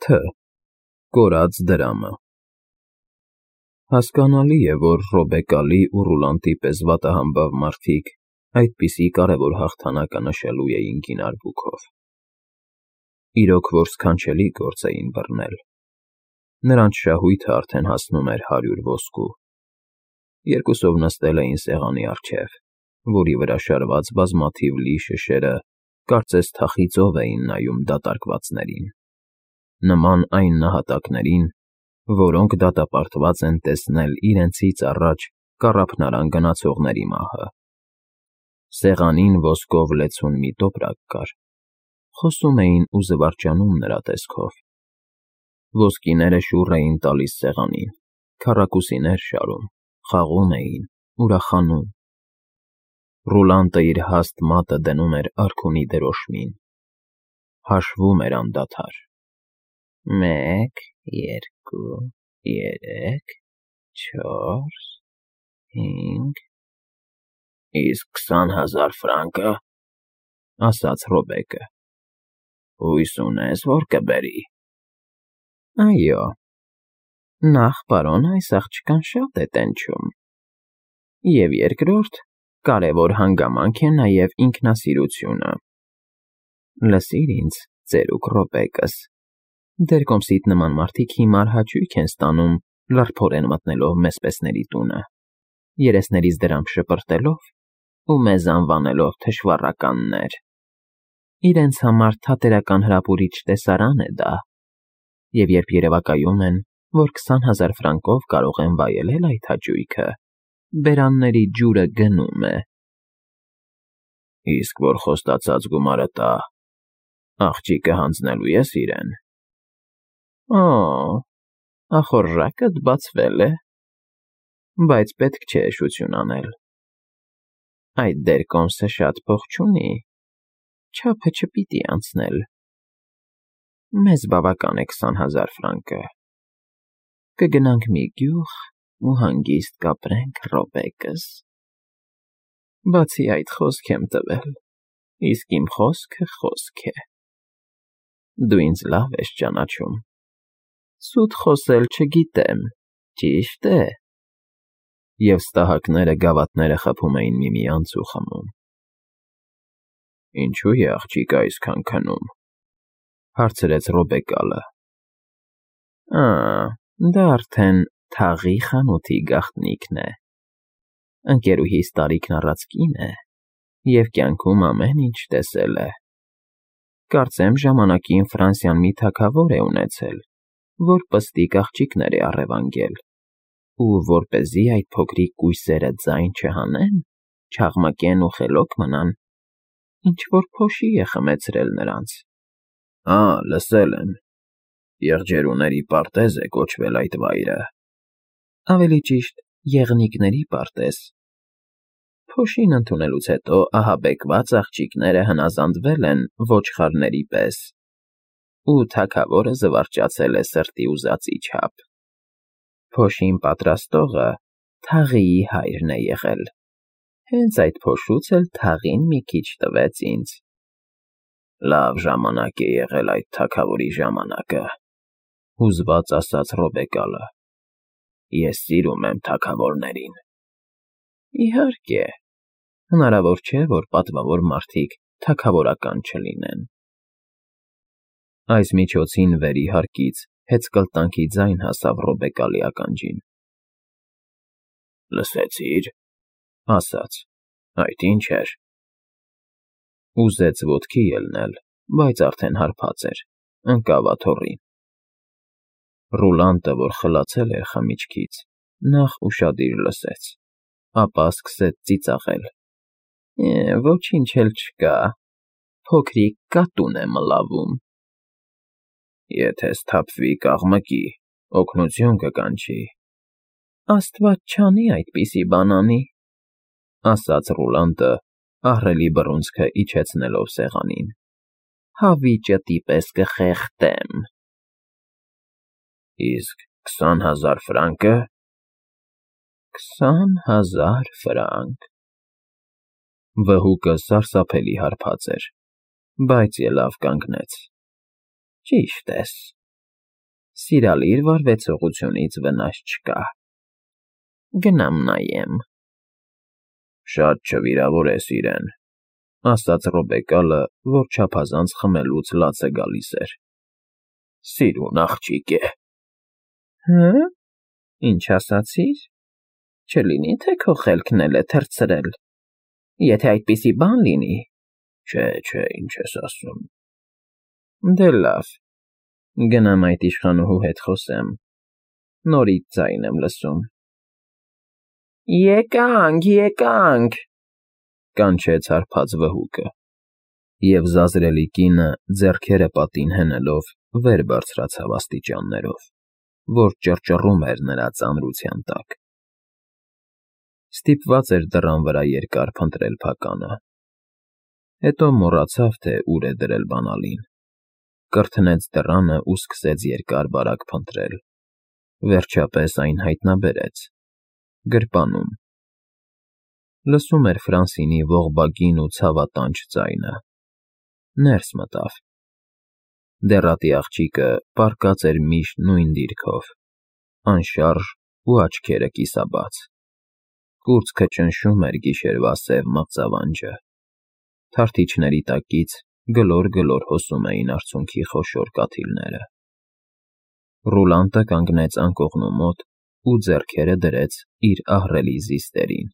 Თ. Կորած դրամը։ Հասկանալի է, որ Ռոբեկալի ու Ռուլանտի պես վատահամբավ մարդիկ այդպիսի կարևոր հաղթանակը նշելու էին գինարվուքով։ Իրոք որ սքանչելի գործ էին բռնել։ Նրանց շահույթը արդեն հասնում էր 100 ոսկու։ Երկուսով նստել էին սեղանի առջև, որի վրա շարված բազմաթիվ լի շշերը կարծես թախիծով էին նայում դատարկվածներին, նման այն նահատակներին, որոնք դատապարտված են տեսնել իրենցից առաջ կառափնարան գնացողների մահը։ Սեղանին ոսկով լեցուն մի տոպրակ կար, խոսում էին ու զվարճանում նրա տեսքով։ Ոսկիները շուռ էին տալիս սեղանին, քառակուսիներ շարում, խաղում էին, ուրախանում։ Ռուլանտը իր հաստ մատը դնում էր արքունի դրոշմին, հաշվում էր անդադար. 1, 2, 3, 4, 5… Իսկ 20,000 ֆրանկը, ասաց Ռոբեկը, հույս ունես, որ կբերի։ Այո, նախ, պարոն, այս աղջկան շատ է տենչում, և երկրորդ, կարևոր հանգամանք է նաև ինքնասիրությունը։ Լսիր ինձ, ծերուկ Ռոբեկս, դեր կոմսիդ նման մարդիկ հիմար հաճույք են ստանում լարփորեն մտնելով մեզպեսների տունը, երեսներից դրամ շպրտելով ու մեզ անվանելով թշվառականներ։ Իրենց համար թատերական հրապուրիչ տեսարան է դա, և երբ երևակայում են, որ 20,000 ֆրանկով կարող են վայելել այդ հաճույքը, բերանների ջուրը գնում է։ Իսկ որ խոստացած գումարը տա, աղջիկը հանձնելու ես իրեն։ Օ, ախորժակդ բացվել է, բայց պետք չէ էշություն անել։ Այդ դեր կոմսը շատ փող չունի, չափը չպիտի անցնել։ Մեզ բավական է 20,000 ֆրանկը։ Կգնանք մի գյուղ ու հանգիստ կապրենք, Ռոբեկս։ Բացի այդ, խոսք եմ տվել, իսկ իմ խոսքը խոսք է։ Դու ինձ լավ ես ճանաչում։ Սուտ խոսել չգիտեմ, ճիշտ է։ Եվ ստահակները գավաթները խփում էին միմյանց ու խմում։ Ինչու է աղջիկը այսքան քնում, հարցրեց Ռոբեկալը։ Դա արդեն թաղի խանութի գաղտնիքն է։ Ընկերուհիս տարիքն առած կին է և կյանքում ամեն ինչ տեսել է։ Կարծեմ ժամանակին Ֆրանսիան մի թագավոր է ունեցել, որ պստիկ աղջիկներ է առևանգել, ու որպեսզի այդ փոքրիկ կույսերը ձայն չհանեն, չաղմկեն ու խելոք մնան, ինչ֊որ փոշի է խմեցրել նրանց։ Լսել եմ, եղջերուների պարտեզ է կոչվել այդ վայրը։ Ավելի ճիշտ, եղնիկների պարտեզ։ Փոշին ընդունելուց հետո ահաբեկված աղջիկները հնազանդվել են ոչխարների պես, ու թագավորը զվարճացել է սրտի ուզածի չափ։ Փոշին պատրաստողը թաղիի հայրն է եղել։ Հենց այդ փոշուց էլ թաղին մի քիչ տվեց ինձ։ Լավ ժամանակ է եղել այդ թագավորի ժամանակը, հուզված ասաց Ռոբեկալը։ Ես սիրում եմ թագավորներին։ Իհարկե, հնարավոր չէ, որ պատվավոր մարդիկ թագավորական չլինեն։ Այս միջոցին վերի հարկից հեծկլտանքի ձայն հասավ Ռոբեկալի ականջին։ Լսեցի՞ր, ասաց, այդ ինչ էր։ Ուզեց ոտքի ելնել, բայց արդեն հարբած էր, ընկավ աթոռին։ Ռուլանտը, որ խլացել էր խմիչքից, նախ ուշադիր լսեց, ապա սկսեց ծիծաղել։ Ոչինչ էլ չկա, փոքրիկ կատուն է մլավում։ Եթե սթափվի կաղմկի, օգնություն կկանչի։ Աստված չանի այդպիսի բան անի, ասաց Ռուլանտը, ահռելի բռունցքը իջեցնելով սեղանին։ Հավիճըտի պես կխեղդեմ։ Իսկ 20,000 ֆրանկը։ 20,000 ֆրանկ։ Վհուկը սարսափելի հարբած էր, բայց ելավ կանգնեց։ Ճիշտ ես, Սիրալիր վարվեցողությունից վնաս չկա։ Գնամ նայեմ։ Շատ չվիրավորես իրեն, ասաց Ռոբեկալը, որ չափազանց խմելուց լաց է գալիս էր։ Սիրուն աղջիկ է։ Հը՞, ինչ ասացիր։ Չլինի, թե քո խելքն էլ է թռցրել։ Եթե այդպիսի բան լինի… Չէ, ինչ ես ասում։ Դե լավ, գնամ այդ իշխանուհու հետ խոսեմ, նորից ձայն եմ լսում։ Եկանք, կանչեց հարբած վհուկը, և զազրելի կինը ձեռքերը պատին հենելով վեր բարձրացավ աստիճաններով, որ ճռճռում էր նրա ծանրության տակ։ Ստիպված էր դռան վրա երկար փնտրել փականը։ Հետո մոռացավ, թե ուր է դրել բանալին, կրթնեց դռանը ու սկսեց երկար֊բարակ փնտրել, վերջապես այն հայտնաբերեց՝ գրպանում։ Լսում էր Ֆրանսինի ողբագին ու ցավատանչ ձայնը։ Ներս մտավ։ Դեռատի աղջիկը պառկած էր միշտ նույն դիրքով, անշարժ ու աչքերը կիսաբաց։ Կուրծքը ճնշում էր գիշերվա սև մղձավանջը։ Թարթիչների տակից գլոր հոսում էին արցունքի խոշոր կաթիլները։ Ռուլանտը կանգնեց անկողնու մոտ ու ձեռքերը դրեց իր ահռելի զիստերին։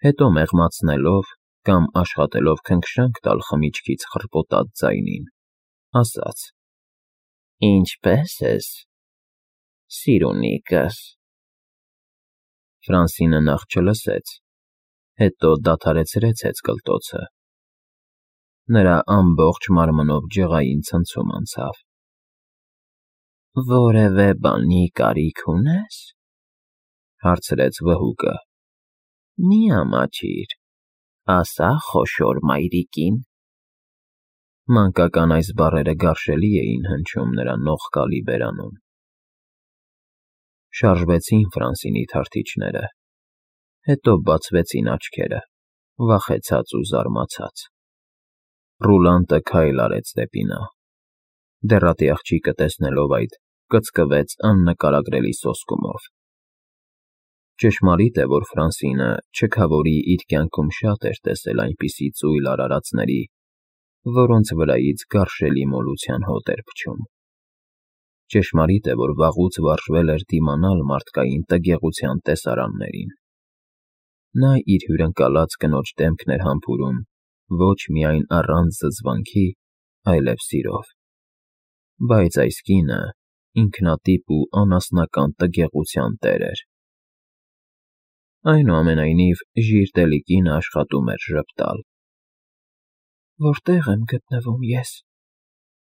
Հետո մեղմացնելով կամ աշխատելով քնքշանք տալ խմիչքից խռպոտած ձայնին, ասաց. Ինչպե՞ս ես, սիրունիկս։ Ֆրանսինը նախ չլսեց, հետո դադարեցրեց հեծկլտոցը։ Նրա ամբողջ մարմնով ջղային ցնցում անցավ։ Որևէ բանի կարիք ունե՞ս, հարցրեց վհուկը։ Մի ամաչիր, ասա խոշոր մայրիկին։ Մանկական այս բառերը գարշելի էին հնչում նրա նողկալի բերանում։ Շարժվեցին Ֆրանսինի թարթիչները, հետո բացվեցին աչքերը, վախեցած ու զարմացած։ Ռուլանտը քայլ արեց դեպի նա։ Դեռատի աղջիկը տեսնելով այդ, կծկվեց աննկարագրելի սոսկումով։ Ճշմարիտ է, որ Ֆրանսինը չքավորի իր կյանքում շատ էր տեսել այնպիսի ծույլ արարածների, որոնց վրայից գարշելի մոլության հոտ էր փչում։ Ճշմարիտ է, որ վաղուց վարժվել էր դիմանալ մարդկային տգեղության տեսարաններին։ Նա իր հյուրընկալած կնոջ դեմքն էր համբուրում ոչ միայն առանց զզվանքի, այլև սիրով։ Բայց այս կինը ինքնատիպ ու անասնական տգեղության տեր էր։ Այնուամենայնիվ, ժիրտելի կինը աշխատում էր ժպտալ։ Որտե՞ղ եմ գտնվում ես,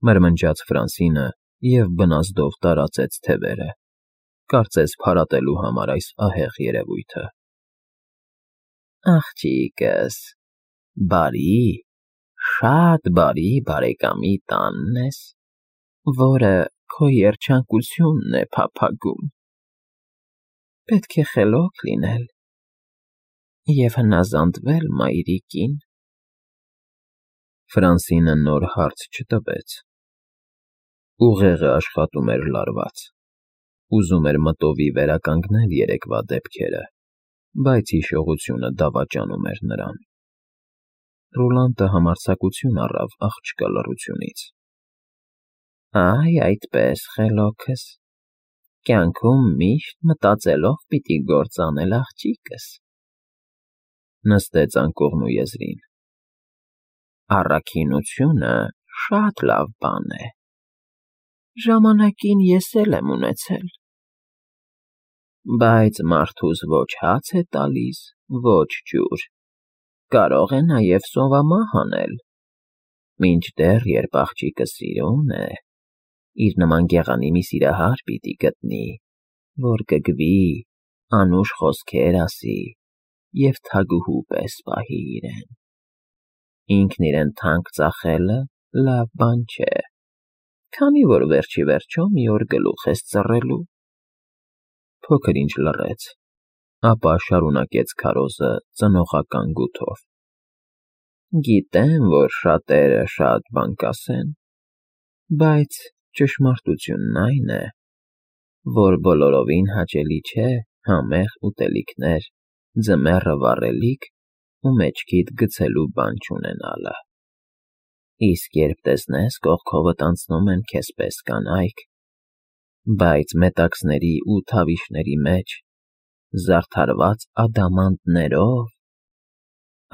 մրմնջաց Ֆրանսինը և բնազդով տարածեց թևերը, կարծես փարատելու համար այս ահեղ երևույթը։ Աղջիկս, բարի, շատ բարի բարեկամի տանն ես, որը քո երջանկությունն է փափագում։ Պետք է խելոք լինել և հնազանդվել մայրիկին։ Ֆրանսինը նոր հարց չտվեց։ Ուղեղը աշխատում էր լարված։ Ուզում էր մտովի վերականգնել երեկվա դեպքերը, բայց հիշողությունը դավաճանում էր նրան։ Ռուլանտը համարձակություն առավ աղջկա լռությունից։ Այ այդպես, խելոքս, կյանքում միշտ մտածելով պիտի գործ անել աղջիկս։ Նստեց անկողնու եզրին։ Առաքինությունը շատ լավ բան է։ Ժամանակին ես էլ եմ ունեցել։ Բայց մարդուս ոչ հաց է տալիս, ոչ ջուր, կարող է նաև սովամահ անել։ Մինչդեռ, երբ աղջիկը սիրուն է, իր նման գեղանի մի սիրահար պիտի գտնի, որ կգվի, անուշ խոսքեր ասի և թագուհու պես պահի իրեն։ Ինքն իրեն թանկ ծախելը լավ բան չէ, քանի որ վերջիվերջո մի օր գլուխ ես ծռելու։ Փոքր-ինչ լռեց, ապա շարունակեց քարոզը ծնողական գութով. Գիտեմ, որ շատերը շատ բան կասեն, բայց ճշմարտությունն այն է, որ բոլորովին հաճելի չէ համեղ ուտելիքներ, ձմեռը վառելիք ու մեջքիդ գցելու բան չունենալը։ Իսկ երբ տեսնես կողքովդ անցնում են քեզ պես կանայք, բայց մետաքսների ու թավիշների մեջ, զարդարված ադամանդներով,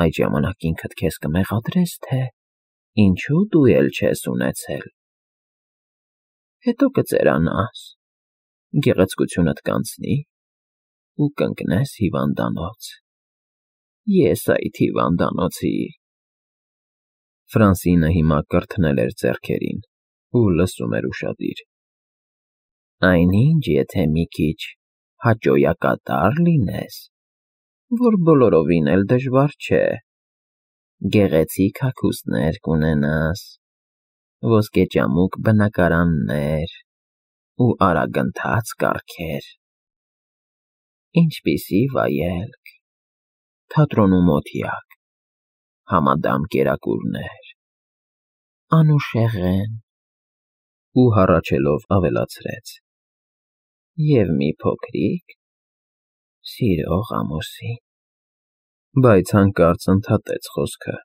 այդ ժամանակ ինքդ քեզ կմեղադրես, թե ինչու դու էլ չես ունեցել։ Հետո կծերանաս, գեղեցկությունդ կանցնի ու կընկնես հիվանդանոց։ Ես այդ հիվանդանոցի… Ֆրանսինը հիմա կրթնել էր ձեռքերին ու լսում էր ուշադիր։ Այնինչ, եթե մի քիչ հաճոյակատար լինես, որ բոլորովին էլ դժվար չէ, գեղեցիկ հագուստներ կունենաս, ոսկեճամուկ բնակարաններ ու արագընթաց կառքեր, ինչպիսի վայելք, թատրոնու մոտիկ, համադամ կերակուրներ, անուշեղեն… Ու հառաչելով ավելացրեց. և մի փոքրիկ սիրող ամուսին… Բայց հանկարծ ընդհատեց խոսքը.